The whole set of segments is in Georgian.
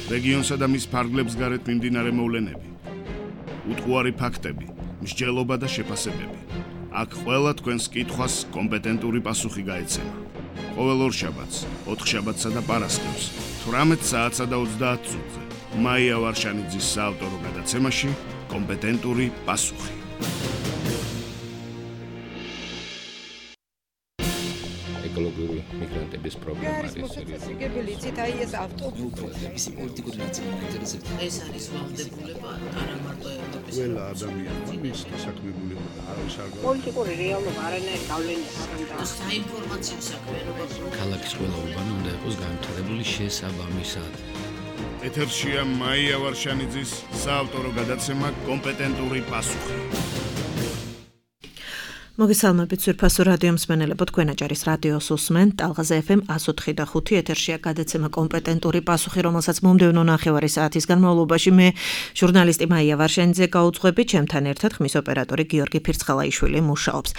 რეგიონსა და მის ფარგლებს გარეთ მიმდინარე მოვლენები, უტყუარი ფაქტები, მსჯელობა და შეფასებები. აქ ყველა თქვენს კითხვას კომპეტენტური პასუხი გაეცემა. ყოველ ორშაბათს, ოთხშაბათსა და პარასკევს, 18 საათსა და 30 წუთზე, მაია ვარშანიძის საავტორო გადაცემაში კომპეტენტური პასუხი. ეკოლოგიური მიგრანტების პრობლემა არის მოციქული იცით აი ეს ავტობუსი მისი პოლიტიკური ნაწილი მაინტერესებს ეს არის ვალდებულება არა მარტო ევროპის ყველა ადამიანმა მის საქმიანობა არავის არ პოლიტიკური რეალობა არანაირი გავლენა არ აქვს. საინფორმაციო საქმიანობა ქალაქის ყველა უბანი უნდა იყოს განვითარებული შესაბამისად. ეთერშია მაია ვარშანიძის საავტორო გადაცემა კომპეტენტური პასუხი. მოგესალმებით ძვირფასო რადიო მსმენელებო, თქვენ აჭარის რადიოს უსმენთ ტალღაზე FM 104.5 ეთერშია გადაცემა კომპეტენტური პასუხი, რომელსაც მომდევნო ნახევარი საათის განმავლობაში მე ჟურნალისტი მაია ვარშანიძე გაუძღვები, ჩემთან ერთად ხმის ოპერატორი გიორგი ფირცხალაიშვილი მუშაობს.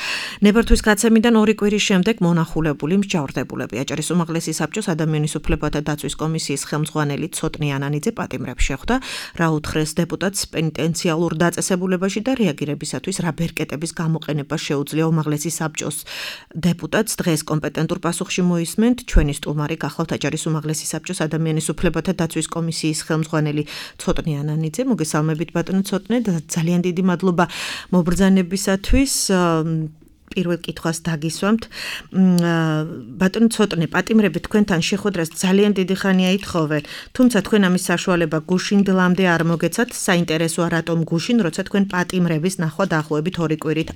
ნებართვის გაცემიდან 2 კვირის შემდეგ მონახულებული მსჯავრდებულები აჭარის უმაღლესი საბჭოს ადამიანის უფლებათა დაცვის კომისიის ხელმძღვანელი ცოტნი ანანიძე პატიმრებს შეხვდა, რა უთხრეს დეპუტატს პენიტენციალურ დაწესებულებაში და რეაგირებისათვის რა ბერკეტების გამოყენება შეუძლია უმაღლესი საბჭოს დეპუტატს. დღეს კომპეტენტურ პასუხში მოისმენთ ჩვენი სტუმარი გახლავთ აჭარის უმაღლესი საბჭოს ადამიანის უფლებათა დაცვის კომისიის ხელმძღვანელი ცოტნი ანანიძე. მოგესალმებით ბატონო ცოტნე და ძალიან დიდი მადლობა მობრძანებისათვის. პირველ კითხვას დაგისვამთ. ბატონო ცოტნე, პატიმრები თქვენთან შეხვედრას ძალიან დიდი ხანია ითხოვენ, თუმცა თქვენ ამის საშუალება გუშინდლამდე არ მოგეცათ. საინტერესოა რატომ გუშინ, როცა თქვენ პატიმრების ნახვა დაახლოებით 2 კვირით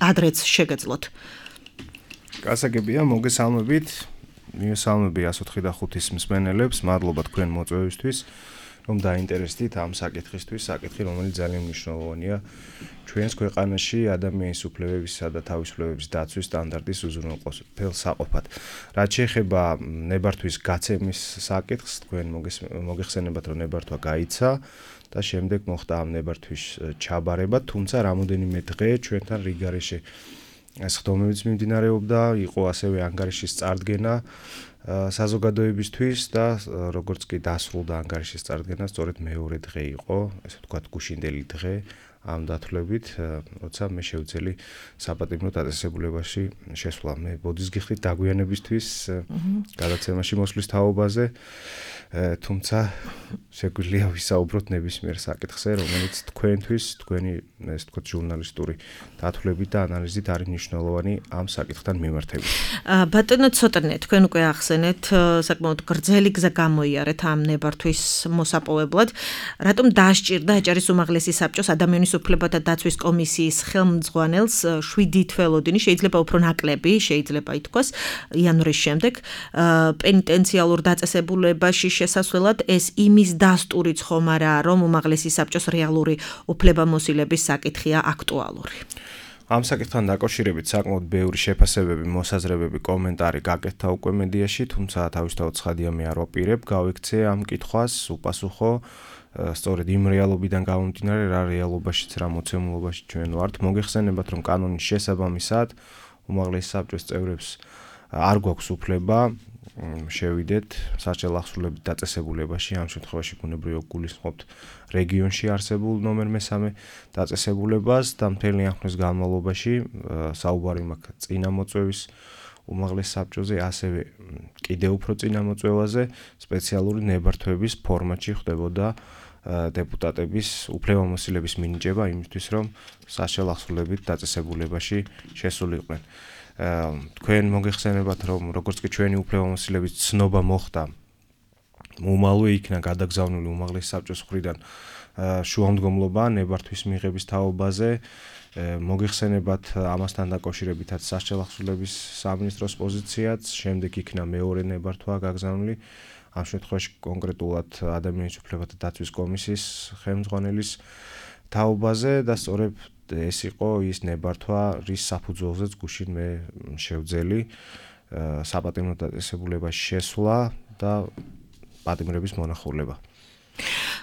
ადრეც შეგეძლოთ. გასაგებია, მოგესალმებით. მივესალმები 104.5-ის მსმენელებს, მადლობა თქვენ მოწვევისთვის, რომ დაინტერესდით ამ საკითხისთვის, საკითხი, რომელიც ძალიან მნიშვნელოვანია ჩვენს ქვეყანაში ადამიანის უფლებებისა და თავისუფლებების დაცვის სტანდარტის უზრუნველყოფელ საყოფად. რაც შეეხება ნებართვის გაცემის საკითხს, თქვენ მოგეხსენებათ, რომ ნებართვა გაიცა და შემდეგ მოხდა ამ ნებართვის ჩაბარება, თუმცა რამოდენიმე დღე ჩვენთან რიგარეშე სხდომებიც მიმდინარეობდა, იყო ასევე ანგარიშის წარდგენა საზოგადოებისთვის და როგორც კი დასრულდა ანგარიშის წარდგენა, სწორედ მეორე დღე იყო, ესე ვთქვათ, გუშინდელი დღე ამ დათვლებით, როცა მე შევძელი საპატიმრო დაწესებულებაში შესვლა. მე ბოდისგიხდით დაგვიანებისთვის გადაცემაში მოსვლის თაობაზე, თუმცა შეგვიძლია ვისაუბროთ ნებისმიერ საკითხზე, რომელიც თქვენთვის, თქვენი ესე ვთქვათ, ჟურნალისტური დათვლებით და ანალიზით არის მნიშვნელოვანი ამ საკითხთან მიმართებით. ბატონო ცოტნე, თქვენ უკვე ახსენეთ, საკმაოდ გრძელი გზა გამოიარეთ ამ ნებართვის მოსაპოვებლად. რატომ დაასჭირდა აჭარის უმაღლესი საბჭოს ადამიანის უფლებათა დაცვის კომისიის ხელმძღვანელს 7 თველოდინი, შეიძლება უფრო ნაკლები, შეიძლება ითქვას, იანვრის შემდეგ პენიტენციალურ დაწესებულებაში შესასვლელად ეს იმის დასტურიც ხომ არაა, რომ უმაღლესი საბჭოს რეალური უფლებამოსილების საკითხია აქტუალური. ამ საკითხთან დაკავშირებით საკმაოდ ბევრი შეფასებები, მოსაზრებები, კომენტარი გაკეთდა უკვე მედიაში, თუმცა თავისთავად ცხადია მე არ ვაპირებ, გავიქცე ამ კითხვას, უპასუხო სწორედ იმ რეალობიდან გამომდინარე, რა რეალობაშიც, რა მოცემულობაში ჩვენ ვართ. მოგეხსენებათ, რომ კანონის შესაბამისად უმაღლესი საბჭოს წევრებს არ გვაქვს უფლება შევიდეთ სასჯელ ახსულებით დაწესებულებაში, ამ შემთხვევაში ბუნებრივია გულისხმობთ რეგიონში არსებულ ნომერ 3 დაწესებულებას და მთელი ამ ხნის განმავლობაში საუბარი მაქვს წინამოწვევის უმაღლეს საბჭოზე, ასევე კიდევ უფრო წინამოწვევაზე სპეციალური ნებართვების ფორმატში ხდებოდა დეპუტატების უფლებამოსილების მინიჭება იმისთვის, რომ სასჯელ ახსულებით დაწესებულებაში შესულიყვნენ. თქვენ მოგეხსენებათ, რომ როგორც კი ჩვენი უფლებამოსილების ცნობა მოხდა, უმალვე იქნა გადაგზავნილი უმაღლესი საბჭოს მხრიდან შუამდგომლობა ნებართვის მიღების თაობაზე. მოგეხსენებათ ამასთან დაკავშირებითაც სასჯელ ახსულების სამინისტროს პოზიციაც, შემდეგ იქნა მეორე ნებართვა გაგზავნილი, ამ შემთხვევაში კონკრეტულად ადამიანის უფლებათა დაცვის კომისიის ხელმძღვანელის თაობაზე და სწორედ ეს იყო ის ნებართვა, რის საფუძველზეც გუშინ მე შევძელი საპატიმრო დაწესებულებაში შესვლა და პატიმრების მონახულება.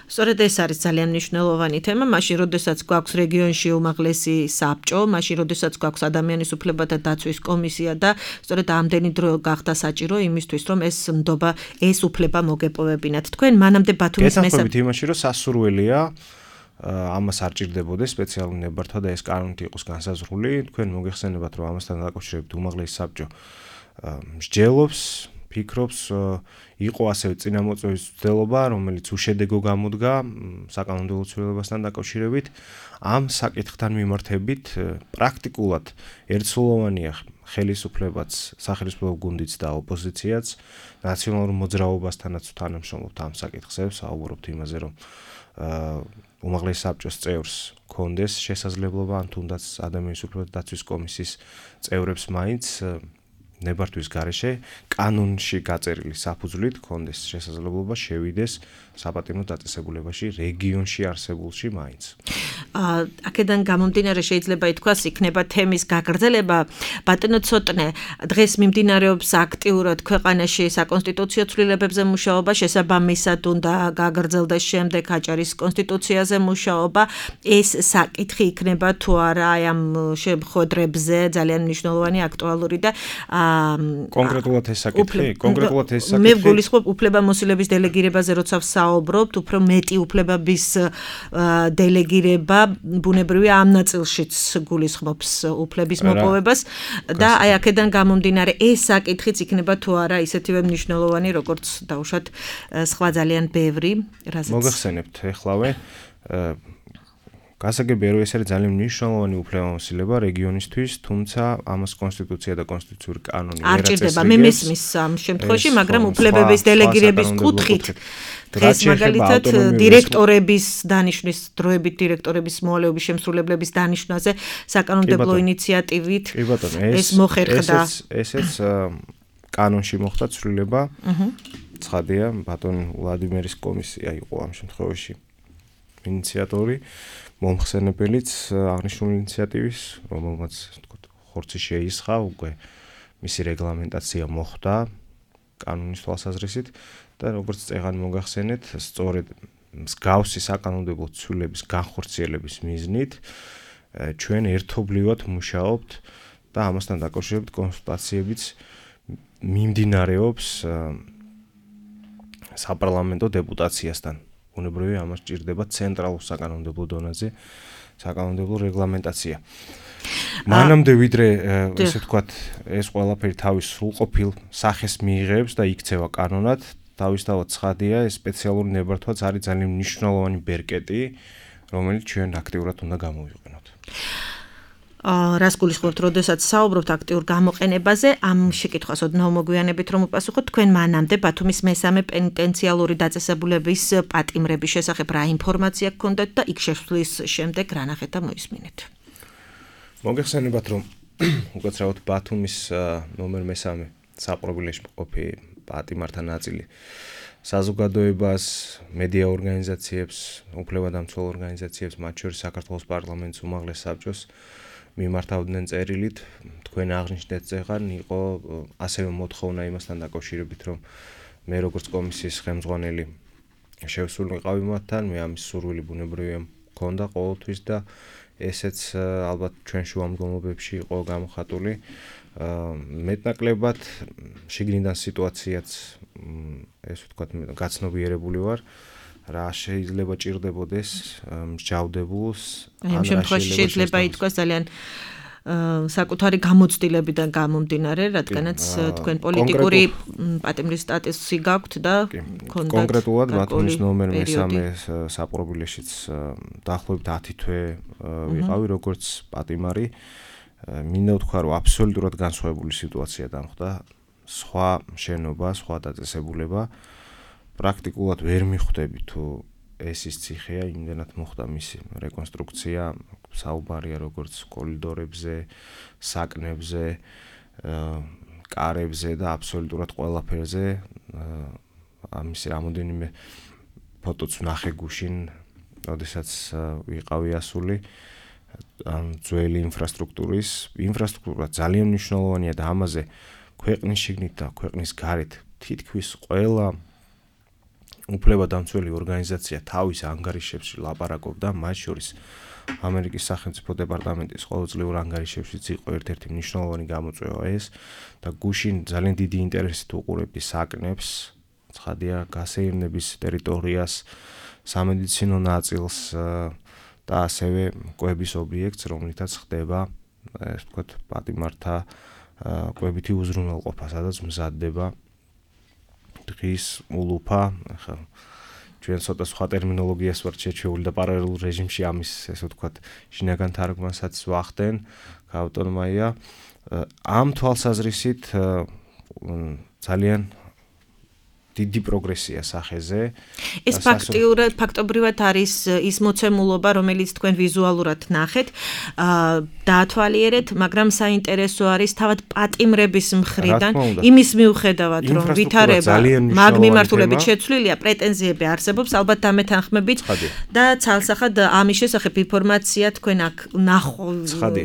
სწორედ ეს არის ძალიან მნიშვნელოვანი თემა, მაშინ როდესაც გვაქვს რეგიონში უმაღლესი საბჭო, მაშინ როდესაც გვაქვს ადამიანის უფლებათა დაცვის კომისია და სწორედ ამდენი დრო გახდა საჭირო იმისთვის, რომ ეს ნდობა, ეს უფლება მოგეპოვებინათ. თქვენ მანამდე ბათუმის გესახმებით იმაში, რომ სასურველია ამას არ ჭირდებოდეს სპეციალური ნებართვა და ეს კანონით იყოს განსაზღვრული. თქვენ მოგეხსენებათ, რომ ამასთან დაკავშირებით უმაღლესი საბჭო მსჯელობს, ფიქრობს, იყო ასევე წინამოწვევის მცდელობა, რომელიც უშედეგო გამოდგა საკანონმდებლო ცვლილებასთან დაკავშირებით. ამ საკითხთან მიმართებით პრაქტიკულად ერთსულოვანია ხელისუფლებაც, სახელმწიფო გუნდიც და ოპოზიციაც ნაციონალურ მოძრაობასთანაც თანამშრომლობთ ამ საკითხებს, საუბრობთ იმაზე, რომ უმაღლესი საბჭოს წევრს კონდეს შესაძლებლობა ან თუნდაც ადამიანის უფლებათა დაცვის კომისიის წევრებს მაინც ნებართვის გარეშე კანონში გაწერილი საფუძვლით კონდეს შესაძლებლობა შევიდეს საპატიმრო დაწესებულებაში რეგიონში არსებულში მაინც. აქედან გამომდინარე შეიძლება ითქვას, იქნება თემის გაგრძელება. ბატონო ცოტნე, დღეს მიმდინარეობს აქტიურად ქვეყანაში საკონსტიტუციო ცვლილებებზე მუშაობა, შესაბამისად უნდა გაგრძელდეს შემდეგ აჭარის კონსტიტუციაზე მუშაობა. ეს საკითხი იქნება თუ არა აი ამ შეხვედრებზე ძალიან მნიშვნელოვანი, აქტუალური და კონკრეტულად ეს საკითხი, მე ვგულისხმობ უფლებამოსილების დელეგირებაზე, როცა ვსაუბრობთ, უფრო მეტი უფლებების დელეგირება ბუნებრივია ამ ნაწილშიც გულისხმობს უფლების მოპოვებას და აი აქედან გამომდინარე ეს საკითხიც იქნება თუ არა ისეთივე მნიშვნელოვანი, როგორც დავუშვათ სხვა ძალიან ბევრი, რაზეც მოგახსენებთ ეხლავე გასაგებია, რომ ეს არის ძალიან მნიშვნელოვანი უფლებამოსილება რეგიონისთვის, თუმცა ამას კონსტიტუცია და კონსტიტუციური კანონი არ ჭირდება. მე მესმის ამ შემთხვევაში, მაგრამ უფლებების დელეგირების კუთხით დღეს მაგალითად დირექტორების დანიშვნის დროებით დირექტორების მოვალეობის შემსრულებლების დანიშვნაზე საკანონმდებლო ინიციატივით ეს მოხერხდა. ესეც კანონში მოხდა ცვლილება. ცხადია, ბატონ ვლადიმერის კომისია იყო ამ შემთხვევაში ინიციატორი, მომხსენებელიც აღნიშნული ინიციატივის, რომელმაც ხორცი შეისხა, უკვე მისი რეგლამენტაცია მოხდა კანონის თვალსაზრისით და როგორც წეგანი მოგახსენეთ, სწორედ მსგავსი საკანონმდებლო ცვლილების განხორციელების მიზნით ჩვენ ერთობლივად მუშაობთ და ამასთან დაკავშირებით კონსულტაციებიც მიმდინარეობს საპარლამენტო დეპუტაციასთან. ბუნებრივია ამას ჭირდება ცენტრალურ საკანონმდებლო დონეზე საკანონმდებლო რეგლამენტაცია. მანამდე ვიდრე ესე ვთქვათ, ეს ყველაფერი თავის სრულყოფილ სახეს მიიღებს და იქცევა კანონად, თავისთავად ცხადია, ეს სპეციალური ნებართვაც არის ძალიან მნიშვნელოვანი ბერკეტი, რომელიც ჩვენ აქტიურად უნდა გამოვიყენოთ. რას გულისხმობთ, როდესაც საუბრობთ აქტიურ გამოყენებაზე, ამ შეკითხვას ოდნავ მოგვიანებით რომ უპასუხოთ, თქვენ მანამდე ბათუმის მესამე პენიტენციალური დაწესებულების პატიმრების შესახებ რა ინფორმაცია გქონდათ და იქ შესვლის შემდეგ რა ნახეთ და მოისმინეთ? მოგეხსენებათ, რომ უკაცრავად ბათუმის ნომერ მესამე საპრობილეში მყოფი პატიმართა ნაწილი საზოგადოებას, მედია ორგანიზაციებს, უფლებადამცველ ორგანიზაციებს, მათ შორის საქართველოს პარლამენტის უმაღლეს საბჭოს მიმართავდნენ წერილით, თქვენ აღნიშნეთ წეგან, იყო ასევე მოთხოვნა იმასთან დაკავშირებით, რომ მე როგორც კომისიის ხელმძღვანელი შევსულიყავი მათთან, მე ამის სურვილი ბუნებრივია მქონდა ყოველთვის და ესეც ალბათ ჩვენ შუამდგომლობებში იყო გამოხატული. მეტნაკლებად შიგნიდან სიტუაციაც ესე ვთქვათ, გაცნობიერებული ვარ. რა შეიძლება ჭირდებოდეს მსჯავრდებულს, ამ შემთხვევაში შეიძლება ითქვას ძალიან საკუთარი გამოცდილებიდან გამომდინარე, რადგანაც თქვენ პოლიტიკური პატიმრის სტატუსი გაქვთ და გქონდათ კონკრეტულად ბათუმის ნომერ მესამე საპრობილეშიც დაახლოებით 10 თვე ვიყავი როგორც პატიმარი. მინდა ვთქვა, რომ აბსოლუტურად განსხვავებული სიტუაცია დამხდა, სხვა შენობა, სხვა დაწესებულება. პრაქტიკულად ვერ მიხვდები თუ ეს ის ციხეა, იმდენად მოხდა მისი რეკონსტრუქცია, საუბარია როგორც კორიდორებზე, საკნებზე, კარებზე და აბსოლუტურად ყველაფერზე. ამის რამოდენიმე ფოტოც ვნახე გუშინ, როდესაც ვიყავი ასული ძველი ინფრასტრუქტურა ძალიან მნიშვნელოვანია და ამაზე ქვეყნის შიგნით და ქვეყნის გარეთ თითქმის ყველა უფლებადამცველი ორგანიზაცია თავის ანგარიშებში ლაპარაკობდა, მათ შორის ამერიკის სახელმწიფო დეპარტამენტის ყოველწლიურ ანგარიშებშიც იყო ერთ-ერთი მნიშვნელოვანი გამოწვევა ეს და გუშინ ძალიან დიდი ინტერესით უყურებდი საკნებს, ცხადია გასეირნების ტერიტორიას, სამედიცინო ნაწილს და ასევე კვების ობიექტს, რომლითაც ხდება, ასე ვთქვათ, პატიმართა კვებითი უზრუნველყოფა, სადაც მზადდება დღის ულუფა, ახლა ჩვენ ცოტა სხვა ტერმინოლოგიას ვართ შეჩეული და პარალელურ რეჟიმში ამის, ესე ვთქვათ, შინაგან თარგმანსაც ვახდენ, გაავტონომია. ამ თვალსაზრისით ძალიან დიდი პროგრესია სახეზე. ეს ფაქტობრივად არის ის მოცემულობა, რომელიც თქვენ ვიზუალურად ნახეთ, დაათვალიერეთ, მაგრამ საინტერესო არის თავად პატიმრების მხრიდან, იმის მიუხედავად, რომ ვითარება მაგ მიმართულებით შეცვლილია, პრეტენზიები არსებობს, ალბათ დამეთანხმებით და ცალსახად ამის შესახებ ინფორმაცია თქვენ აქ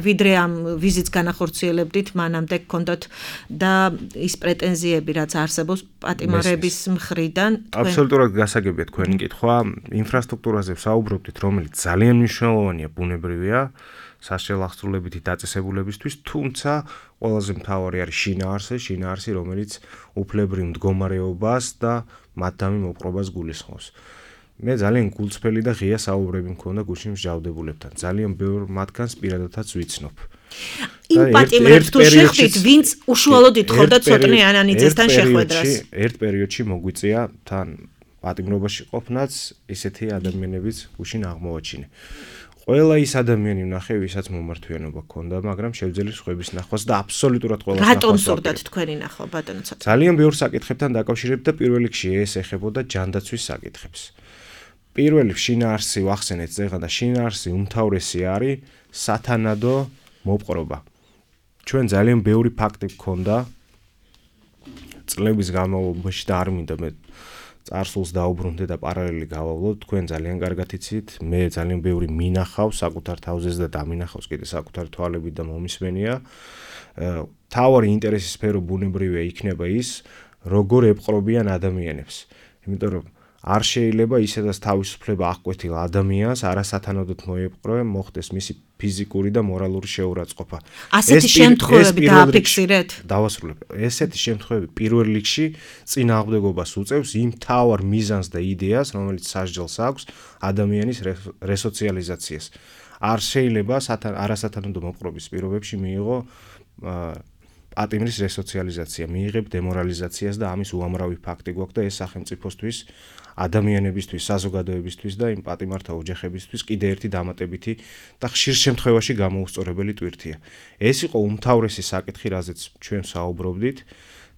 ვიდრე ამ ვიზიტს განახორციელებდით, მანამდე გქონდათ და ის პრეტენზიები, რაც არსებობს პატიმრების მხრიდან აბსოლუტურად გასაგებია თქვენი კითხვა. ინფრასტრუქტურაზე ვსაუბრობდით, რომელიც ძალიან მნიშვნელოვანია, ბუნებრივია, სასჯელახსრულებითი დაწესებულებისთვის, თუმცა ყველაზე მთავარი არის შინაარსი, რომელიც უფლებრივ მდგომარეობას და მათდამი მოპყრობას გულისხმობს. მე ძალიან გულწრფელი და ღია საუბრები მქონდა გუშინ მსჯავრდებულებთან. ძალიან ბევრ მათგანს პირადადაც ვიცნობ. იმ პატიმრებს თუ შეხვდით, ვინც უშუალოდ ითხოვდა ცოტნე ანანიძესთან შეხვედრას. ერთ პერიოდში მოგვიწია თან პატიმრობაში ყოფნაც ისეთი ადამიანებიც გუშინ აღმოვაჩინე. ყველა ის ადამიანი ვნახე, ვისაც მომართვიანობა ჰქონდა, მაგრამ შევძელი სხვების ნახვას და აბსოლუტურად ყველას ნახვას. რატომ სურდათ თქვენი ნახვა, ბატონო ცოტა? ძალიან ბევრ საკითხებთან დაკავშირებით და პირველ რიგში ეს ეხებოდა ჯანდაცვის საკითხებს. პირველ რიგში შინაარსი ვახსენეთ ზეღა და შინაარსი უმთავრესი არის სათანადო მოპყრობა. ჩვენ ძალიან ბევრი ფაქტი გქონდა წლების განმავლობაში და არ მინდა მე წარსულს დაუბრუნდე და პარალელი გავავლოთ, თქვენ ძალიან კარგად იცით, მე ძალიან ბევრი მინახავს საკუთარ თავზეც და დამინახავს კიდე საკუთარ თვალებით და მომისმენია. თავარი ინტერესის სფერო ბუნებრივია იქნება ის, როგორ ეპყრობიან ადამიანებს. იმიტომ რომ არ შეიძლება ისედაც თავისუფლება აღკვეთილ ადამიანს არასათანადოდ მოეპყროენ, მოხდეს მისი ფიზიკური და მორალური შეურაცხყოფა. ასეთი შემთხვევები დააფიქსირეთ? დავასრულებ. ესეთი შემთხვევები პირველ რიგში წინააღმდეგობას უწევს იმ მთავარ მიზანს და იდეას, რომელიც სასჯელს აქვს ადამიანის რესოციალიზაციას. არ შეიძლება არასათანადო მოპყრობის პირობებში მიიღო პატიმრის რესოციალიზაცია, მიიღებ დემორალიზაციას და ამის უამრავი ფაქტი გვაქვს და ეს სახელმწიფოსთვის, ადამიანებისთვის, საზოგადოებისთვის და იმ პატიმართა ოჯახებისთვის კიდე ერთი დამატებითი და ხშირ შემთხვევაში გამოუსწორებელი ტვირთია. ეს იყო უმთავრესი საკითხი, რაზეც ჩვენ საუბრობდით.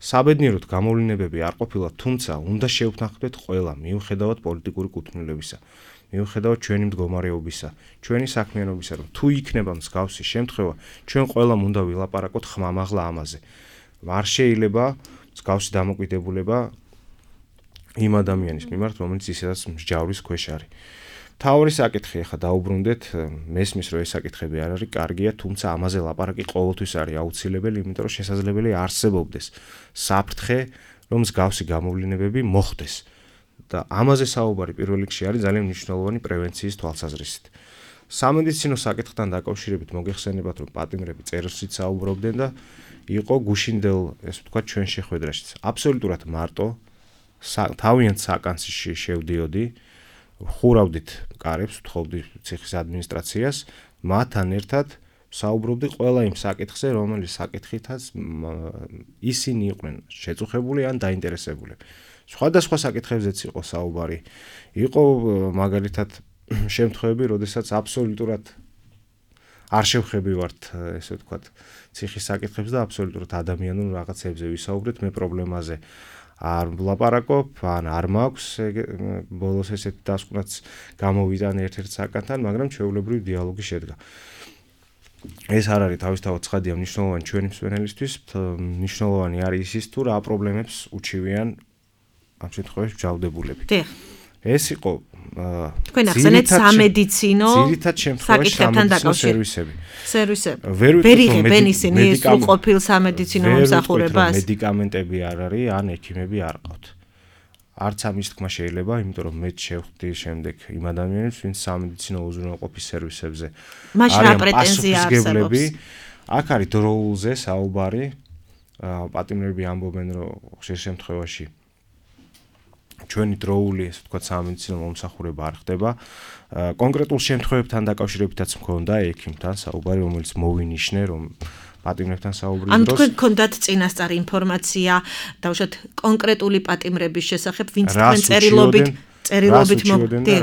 საბედნიეროდ გამოვლენებები არ ყოფილა, თუმცა უნდა შევთანხმდეთ ყველა, მიუხედავად პოლიტიკური კუთვნილებისა, მიუხედავად ჩვენი მდგომარეობისა, ჩვენი საქმიანობისა, რომ თუ იქნება მსგავსი შემთხვევა, ჩვენ ყველამ უნდა ვილაპარაკოთ ხმამაღლა ამაზე. არ შეიძლება მსგავსი დამოკიდებულება იმ ადამიანის მიმართ, რომელიც ისედაც მსჯავრის ქვეშ არის. მთავარი საკითხი ახლა დაუბრუნდეთ, მესმის რომ ეს საკითხები არ არის კარგია, თუმცა ამაზე ლაპარაკი ყოველთვის არის აუცილებელი, იმიტომ რომ შესაძლებელი არსებობდეს საფრთხე, რომ მსგავსი გამოვლენებები მოხდეს. და ამაზე საუბარი პირველ რიგში არის ძალიან მნიშვნელოვანი პრევენციის თვალსაზრისით. სამედიცინო საკითხთან დაკავშირებით მოგეხსენებათ, რომ პატიმრები წერილშიც საუბრობდნენ და იყო გუშინდელ, ესე ვთქვათ, ჩვენ შეხვედრაშიც. აბსოლუტურად მარტო თავიანთ საკანცში შევდიოდი, ხურავდით კარებს, ვთხოვდი ციხის ადმინისტრაციას, მათთან ერთად საუბრობდი ყველა იმ საკითხზე, რომელიც საკითხითაც ისინი იყვნენ შეწუხებული ან დაინტერესებული. სხვადასხვა საკითხებზეც იყო საუბარი. იყო მაგალითად შემთხვევები, როდესაც აბსოლუტურად არ შევხებივართ, ესე ვთქვათ, ციხის საკითხებს და აბსოლუტურად ადამიანურ რაღაცებზე ვისაუბრეთ, მე პრობლემაზე არ ვლაპარაკობ, ან არ მაქვს ბოლოს ესეთი დასკვნაც გამოვიდა ერთ-ერთ საკანთან, მაგრამ ჩვეულებრივი დიალოგი შედგა. ეს არ არის თავისთავად ცხადია მნიშვნელოვანი ჩვენი მსმენელისთვის, მნიშვნელოვანი არის ის თუ რა პრობლემებს უჩივიან ამ შემთხვევაში მსჯავრდებულები. ეს იყო თქვენ ახსენეთ სამედიცინო საკითხებთან დაკავშირებით სერვისები. ვერ იღებენ ისინი სრულყოფილ სამედიცინო მომსახურებას? მედიკამენტები არ არის, ან ექიმები არ ყავთ. არც ამის თქმა შეიძლება, იმიტომ რომ მე შევხვდი შემდეგ იმ ადამიანებს, ვინც სამედიცინო უზრუნველყოფის სერვისებზე მაშინ რა პრეტენზია არსებობს? აქ არის დროულზე საუბარი, პატიმრები ამბობენ, რომ ხშირ შემთხვევაში ჩვენი დროული, ესე ვთქვათ, სამედიცინო მომსახურება არ ხდება. კონკრეტულ შემთხვევებთან დაკავშირებითაც მქონდა ექიმთან საუბარი, რომელიც მოვინიშნე, რომ პატიმრებთან საუბრის დროს. ან თქვენ გქონდათ წინასწარ ინფორმაცია, დავუშვათ კონკრეტული პატიმრების შესახებ, ვინც თქვენ წერილობით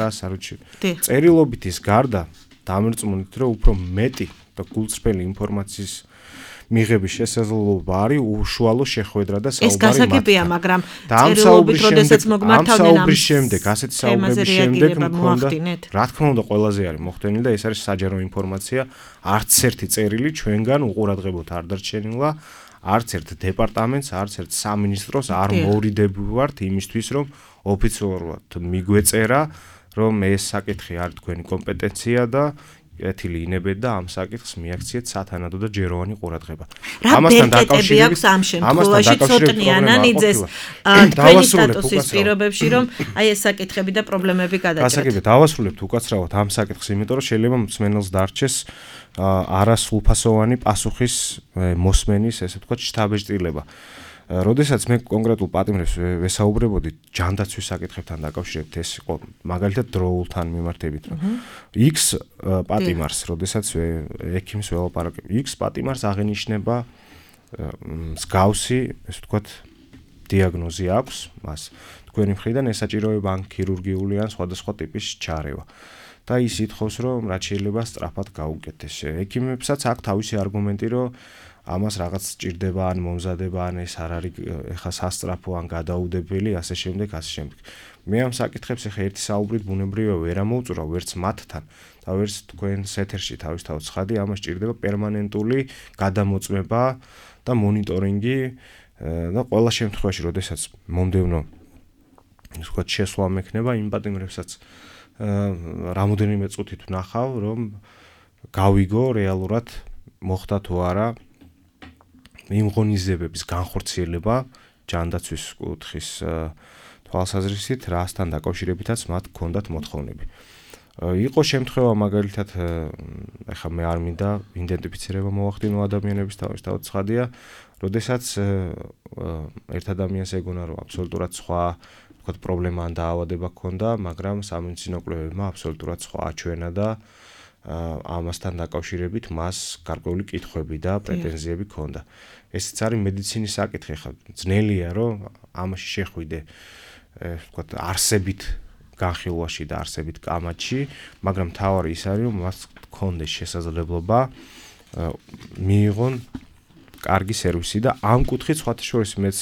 რას არ უჩვენებთ. წერილობით ის გარდა დამერწმუნდით, რომ უფრო მეტი და გულწრფელი ინფორმაციის მიღების შესაძლებლობა არის უშუალო შეხვედრა და საუბარი. ეს გასაგებია, მაგრამ წერილობით როდესაც მოგმართავდნენ ამ შემდეგ, ასეთი საუბრების შემდეგ მქონდა, რა თქმა უნდა, ყველაზე არის მოხდენილი და ეს არის საჯარო ინფორმაცია. არც ერთი წერილი ჩვენგან უყურადღებოთ არ დარჩენილა, არც ერთ დეპარტამენტს, არც ერთ სამინისტროს არ მოვიდებივართ იმისთვის, რომ ოფიციალურად მიგვეწერა, რომ ეს საკითხი არის თქვენი კომპეტენცია და ეთილი ინებეთ და ამ საკითხს მიაქციეთ სათანადო და ჯეროვანი ყურადღება. ამასთან დაკავშირებით ამ შემთხვევაში ცოტნიან იზეს თქვენი სტატუსის პირობებში, რომ აი ეს საკითხები და პრობლემები გადაჭრეთ. გასაგებია, დავასრულებთ უკაცრავად ამ საკითხს, იმიტომ რომ შეიძლება მსმენელს დარჩეს არასრულფასოვანი პასუხის მოსმენის, ესე ვთქვათ, შთაბეჭდილება. როდესაც მე კონკრეტულ პატიმრებს ვესაუბრებოდი ჯანდაცვის საკითხებთან დაკავშირებით, ეს იყო მაგალითად დროულთან მიმართებით, რომ X პატიმარს, როდესაც ექიმს ველაპარაკებ, X პატიმარს აღენიშნება მსგავსი, ესე ვთქვათ, დიაგნოზი აქვს მას. თქვენი მხრიდან ესაჭიროება ან ქირურგიული ან სხვადასხვა ტიპის ჩარევა. და ის ითხოვს, რომ რაც შეიძლება სწრაფად გაუკეთეს. ექიმებსაც აქვს თავისი არგუმენტი, რომ ამას რაღაც სჭირდება ან მომზადება ან ეს არ არის ეხა სასწრაფო ან გადაუდებელი, ასე შემდეგ, ასე შემდეგ. მე ამ საკითხებს ეხა ერთი საუბრით ბუნებრივია ვერ ამოვწურავ ვერც მათთან და ვერც თქვენს ეთერში თავისთავად ცხადი, ამას სჭირდება პერმანენტული გადამოწმება და მონიტორინგი და ყველა შემთხვევაში, როდესაც მომდევნო ვთქვათ შესვლა მექნება იმ პატიმრებსაც რამოდენიმე წუთით ვნახავ, რომ გავიგო რეალურად მოხდა თუ არა იმ ღონისძიებების განხორციელება ჯანდაცვის კუთხის თვალსაზრისით, რასთან დაკავშირებითაც მათ ჰქონდათ მოთხოვნები. იყო შემთხვევა მაგალითად, ეხლა მე არ მინდა იდენტიფიცირება მოვახდინო ადამიანების თავისთავად ცხადია, როდესაც ერთ ადამიანს ეგონა, რომ აბსოლუტურად სხვა ვთქვათ პრობლემა ან დაავადება ჰქონდა, მაგრამ სამედიცინო კვლევებმა აბსოლუტურად სხვა აჩვენა და ამასთან დაკავშირებით მას გარკვეული კითხვები და პრეტენზიები ჰქონდა. ესეც არის მედიცინის საკითხი, ხა ძნელია, რომ ამაში შეხვიდე, ვთქვათ, არსებით განხილვაში და არსებით კამათში, მაგრამ თავარი ის არის, რომ მას ჰქონდეს შესაძლებლობა მიიღონ კარგი სერვისი და ამ კუთხით სხვათა შორის მეც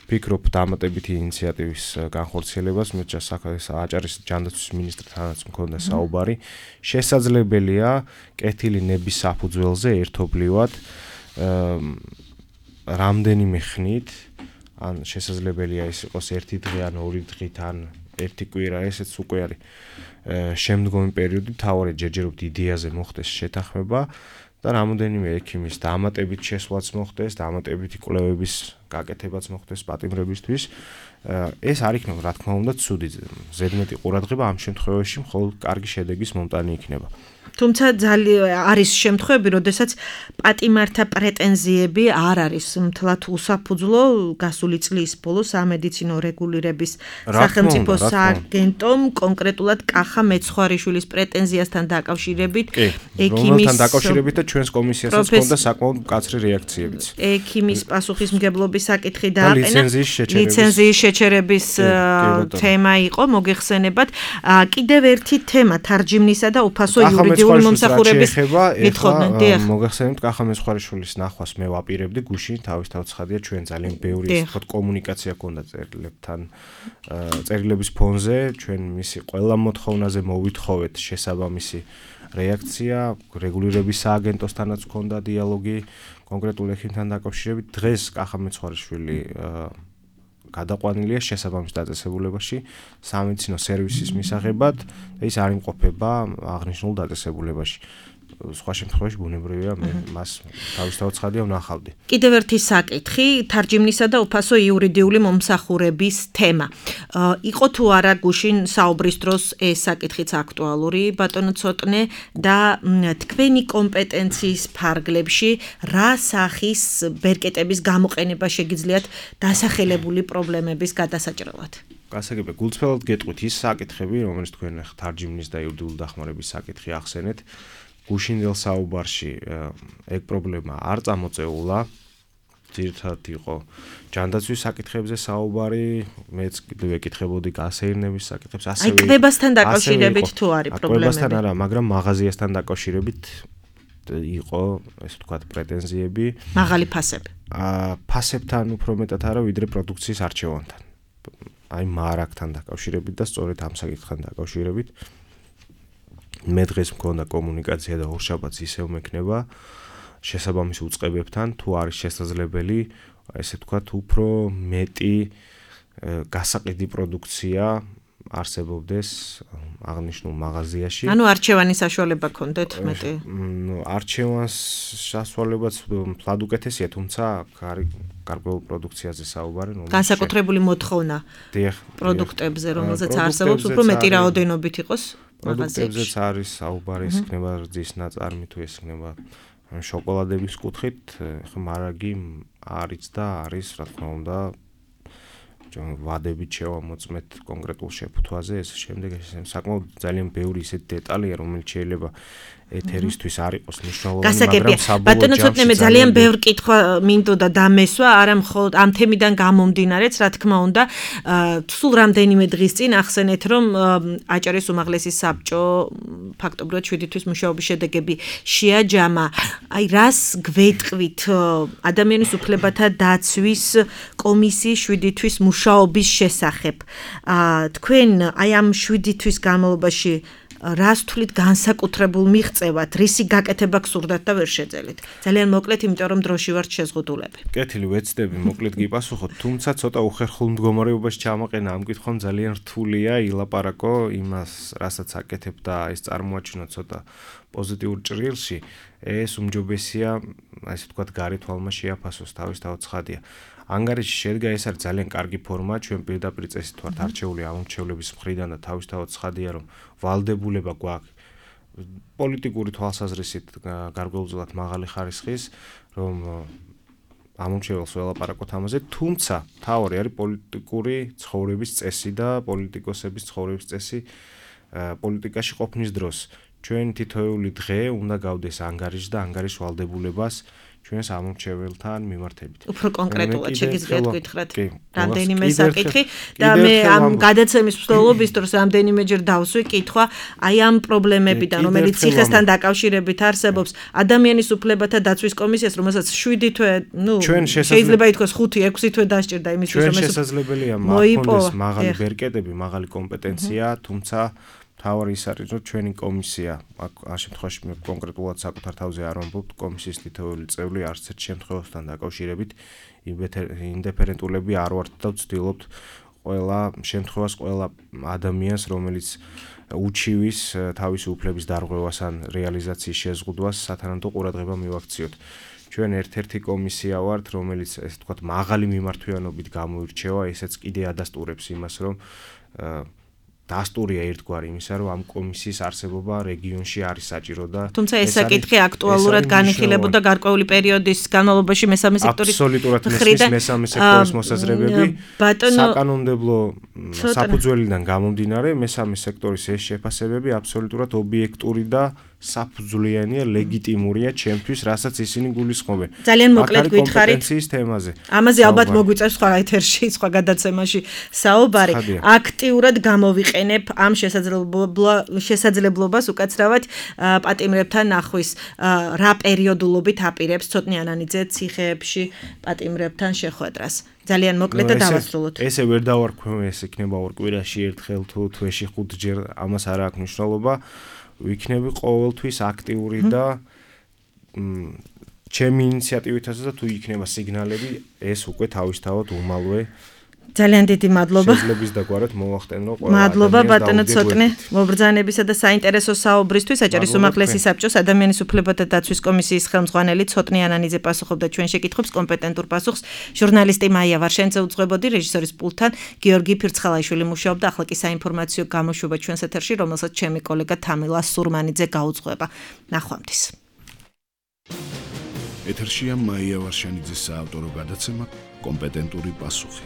ფიქრობ დამატებითი ინიციატივის განხორციელებას, მე აჭარის ჯანდაცვის მინისტრთანაც მქონდა საუბარი, შესაძლებელია კეთილი ნების საფუძველზე ერთობლივად რამდენიმე ხნით, ან შესაძლებელია ის იყოს ერთი დღე ან ორი დღით ან ერთი კვირა, ესეც უკვე არის შემდგომი პერიოდი, მთავარი ჯერჯერობით იდეაზე მოხდეს შეთანხმება და რამოდენიმე ექიმის დამატებით შესვლაც მოხდეს, დამატებითი კვლევების გაკეთებაც მოხდეს პატიმრებისთვის. ეს არ იქნება, რა თქმა უნდა, ცუდი ზედმეტი ყურადღება ამ შემთხვევაში მხოლოდ კარგი შედეგის მომტანი იქნება. თუმცა ძალიან არის შემთხვევები, როდესაც პატიმართა პრეტენზიები არ არის მთლად უსაფუძვლო. გასული წლის ბოლოს სამედიცინო რეგულირების სახელმწიფო სააგენტომ კონკრეტულად კახა მეცხვარიშვილის პრეტენზიასთან დაკავშირებით ექიმის დაკავშირებით და ჩვენს კომისიასაც ჰქონდა საკმაოდ მკაცრი რეაქციებიც. ექიმის პასუხისმგებლობის საკითხი დააყენა. ლიცენზიის შეჩერების თემა იყო, მოგეხსენებათ. კიდევ ერთი თემა თარჯიმნისა და უფასო იურიდიული მომსახურების მითხოვდნენ. მოგეხსენებთ, კახა მეცხვარიშვილის ნახვას მე ვაპირებდი გუშინ, თავისთავად ცხადია, ჩვენ ძალიან ბევრი ისეთ კომუნიკაცია ჰქონდა წერილებთან, წერილების ფონზე, ჩვენ მისი ყველა მოთხოვნაზე მოვითხოვეთ შესაბამისი რეაქცია, რეგულირების სააგენტოსთანაც ჰქონდა დიალოგი კონკრეტულ ექიმთან დაკავშირებით. დღეს კახა მეცხვარიშვილი გადაყვანილია შესაბამის დაწესებულებაში სამედიცინო სერვისის მისაღებად და ის არ იმყოფება აღნიშნულ დაწესებულებაში. სხვა შემთხვევაში ბუნებრივია მე მას თავისთავად ცხადია ვნახავდი. კიდევ ერთი საკითხი, თარჯიმნისა და უფასო იურიდიული მომსახურების თემა. იყო თუ არა გუშინ საუბრის დროს ეს საკითხიც აქტუალური, ბატონო ცოტნე და თქვენი კომპეტენციის ფარგლებში რა სახის ბერკეტების გამოყენება შეგიძლიათ დასახელებული პრობლემების გადასაჭრელად? გასაგებია, გულწრფელად გეტყვით ის საკითხები, რომელიც თქვენ თარჯიმნის და იურიდიული დახმარების საკითხი ახსენეთ, გუშინდელ საუბარში ეგ პრობლემა არ წამოწეულა. ძირითადად იყო ჯანდაცვის საკითხებზე საუბარი, მეც კიდევ ეკითხებოდი გასეირნების საკითხებს, ასევე კვებასთან დაკავშირებით თუ არის პრობლემები? კვებასთან არა, მაგრამ მაღაზიასთან დაკავშირებით იყო, ესე ვთქვათ, პრეტენზიები. მაღალი ფასები. ფასებთან უფრო მეტად არა, ვიდრე პროდუქციის არჩევანთან. აი მარაგთან დაკავშირებით და სწორედ ამ საკითხთან დაკავშირებით მე დღეს მქონდა კომუნიკაცია და ორშაბათს ისევ მექნება შესაბამის უწყებებთან თუ არის შესაძლებელი ესე ვთქვათ უფრო მეტი გასაყიდი პროდუქცია არსებობდეს აღნიშნულ მაღაზიაში. ანუ არჩევანის საშუალება გქონდეთ მეტი? არჩევანს საშუალებაც ფლად უკეთესია, თუმცა გარკვეულ პროდუქციაზე საუბარი, განსაკუთრებული მოთხოვნა პროდუქტებზე, რომელზეც არსებობს უფრო მეტი რაოდენობით იყოს მაღაზიაში. პროდუქტებზეც არის საუბარი, ეს იქნება რძის ნაწარმი თუ ეს იქნება შოკოლადების კუთხით, ხო მარაგი არის და არის, რა თქმა უნდა, ვადებით შევამოწმეთ კონკრეტულ შეფუთვაზე, ეს შემდეგ საკმაოდ ძალიან ბევრი ისეთი დეტალია, რომელიც შეიძლება ეთერისთვის არ იყოს მნიშვნელოვანი, მაგრამ საბოლოო ბატონო ცოტნე მე ძალიან ბევრ კითხვა მინდოდა დამესვა, არა მხოლოდ ამ თემიდან გამომდინარეც, რა თქმა უნდა, სულ რამდენიმე დღის წინ ახსენეთ, რომ აჭარის უმაღლესი საბჭო ფაქტობრივად 7 თვის მუშაობის შედეგები შეაჯამა. აი რას გვეტყვით ადამიანის უფლებათა დაცვის კომისიის 7 თვის მუშაობის შესახებ? თქვენ აი ამ 7 თვის განმავლობაში რას თვლით განსაკუთრებულ მიღწევად, რისი გაკეთება გსურდათ და ვერ შეძელით? ძალიან მოკლედ, იმიტომ რომ დროში ვართ შეზღუდულები. კეთილი ვეცდები, მოკლედ გიპასუხოთ, თუმცა ცოტა უხერხულ მდგომარეობაში ჩამოყენა ამ კითხვამ ძალიან რთულია ილაპარაკო იმას, რასაც აკეთებ და ეს წარმოაჩინო ცოტა პოზიტიურ ჭრილში, ეს უმჯობესია, ასე ვთქვათ, გარეთ თვალმა შეაფასოს, თავისთავად ცხადია. ანგარიში შედგა, ეს არის ძალიან კარგი ფორმა, ჩვენ პირდაპირ წესით ვართ არჩეული ამომრჩევლების მხრიდან და თავისთავად ცხადია, რომ ვალდებულება გვაქვს პოლიტიკური თვალსაზრისით გარკვეულწილად მაღალი ხარისხის, რომ ამომრჩეველს ველაპარაკოთ ამაზე, თუმცა თავი არის პოლიტიკური ცხოვრების წესი და პოლიტიკოსების ცხოვრების წესი პოლიტიკაში ყოფნის დროს. ჩვენ თითოეული დღე უნდა გავდეს ანგარიშს და ანგარიშ ვალდებულებას ჩვენს ამომრჩეველთან მიმართებით. უფრო კონკრეტულად შეგიძლიათ გითხრათ რამდენიმე საკითხი და მე ამ გადაცემის მსვლელობის დროს რამდენიმეჯერ დავსვი კითხვა აი ამ პრობლემებიდან, რომელიც ციხესთან დაკავშირებით არსებობს, ადამიანის უფლებათა დაცვის კომისიას, რომელსაც 7 თვე, შეიძლება ითქვას 5-6 თვე დასჭირდა იმისთვის, რომ ჩვენ შესაძლებელია მაქონდეს მაღალი ბერკეტები, მაღალი კომპეტენცია, თუმცა თავი ის არის, რომ ჩვენი კომისია, ამ შემთხვევაში მე კონკრეტულად საკუთარ თავზე არ ვამბობ, კომისიის თითოეული წევრი არც ერთ შემთხვევასთან დაკავშირებით ინდიფერენტულები არ ვართ და ვცდილობთ ყველა შემთხვევას, ყველა ადამიანს, რომელიც უჩივის თავისი უფლების დარღვევას ან რეალიზაციის შეზღუდვას სათანადო ყურადღება მივაქციოთ. ჩვენ ერთ-ერთი კომისია ვართ, რომელიც ესე ვთქვათ, მაღალი მიმართვიანობით გამოირჩევა, ესეც კიდე ადასტურებს იმას, რომ დასტურია ერთგვარი იმისა, რომ ამ კომისიის არსებობა რეგიონში არის საჭირო და თუმცა ეს საკითხი აქტუალურად განიხილებოდა გარკვეული პერიოდის განმავლობაში მესამე სექტორის აბსოლუტურად მესამე სექტორის მოსაზრებები საკანონმდებლო საფუძველიდან გამომდინარე მესამე სექტორის ეს შეფასებები აბსოლუტურად ობიექტური და საფუძვლიანია, ლეგიტიმურია ჩემთვის, რასაც ისინი გულისხმობენ. ძალიან მოკლედ გითხარით კომპეტენციის თემაზე. ამაზე ალბათ მოგვიწევს სხვა ეთერში, სხვა გადაცემაში საუბარი. აქტიურად გამოვიყენებ ამ შესაძლებლობას უკაცრავად პატიმრებთან ნახვის. რა პერიოდულობით აპირებს ცოტნე ანანიძე ციხეებში პატიმრებთან შეხვედრას? ძალიან მოკლედ და დავასრულოთ. ესე ვერ დავარქვი, ეს იქნება ორ კვირაში ერთხელ თუ თვეში 5 ჯერ, ამას არ აქვს მნიშვნელობა. ვიქნები ყოველთვის აქტიური და ჩემი ინიციატივითაც და თუ იქნება სიგნალები, ეს უკვე თავისთავად უმალვე ძალიან დიდი მადლობა. შეძლებს დაგვარეთ მოვახტენო ყველა. მადლობა ბატონო ცოტნე მობრძანებისა და საინტერესო საუბრისთვის. აჭარის უმაღლესი საბჭოს ადამიანის უფლებათა დაცვის კომისიის ხელმძღვანელი ცოტნე ანანიძე პასუხობდა ჩვენ შეკითხვებს, კომპეტენტურ პასუხს ჟურნალისტი მაია ვარშენძე უძღვებოდი, რეჟისორის პულტთან გიორგი ფირცხალაიშვილი მუშაობდა. ახლა კი საინფორმაციო გამოშვება ჩვენს ეთერში, რომელსაც ჩემი კოლეგა თამილა სურმანიძე გაუძღვება. ნახვამდის. ეთერშია მაია ვარშენიძის საავტორო გადაცემა კომპეტენტური პასუხი.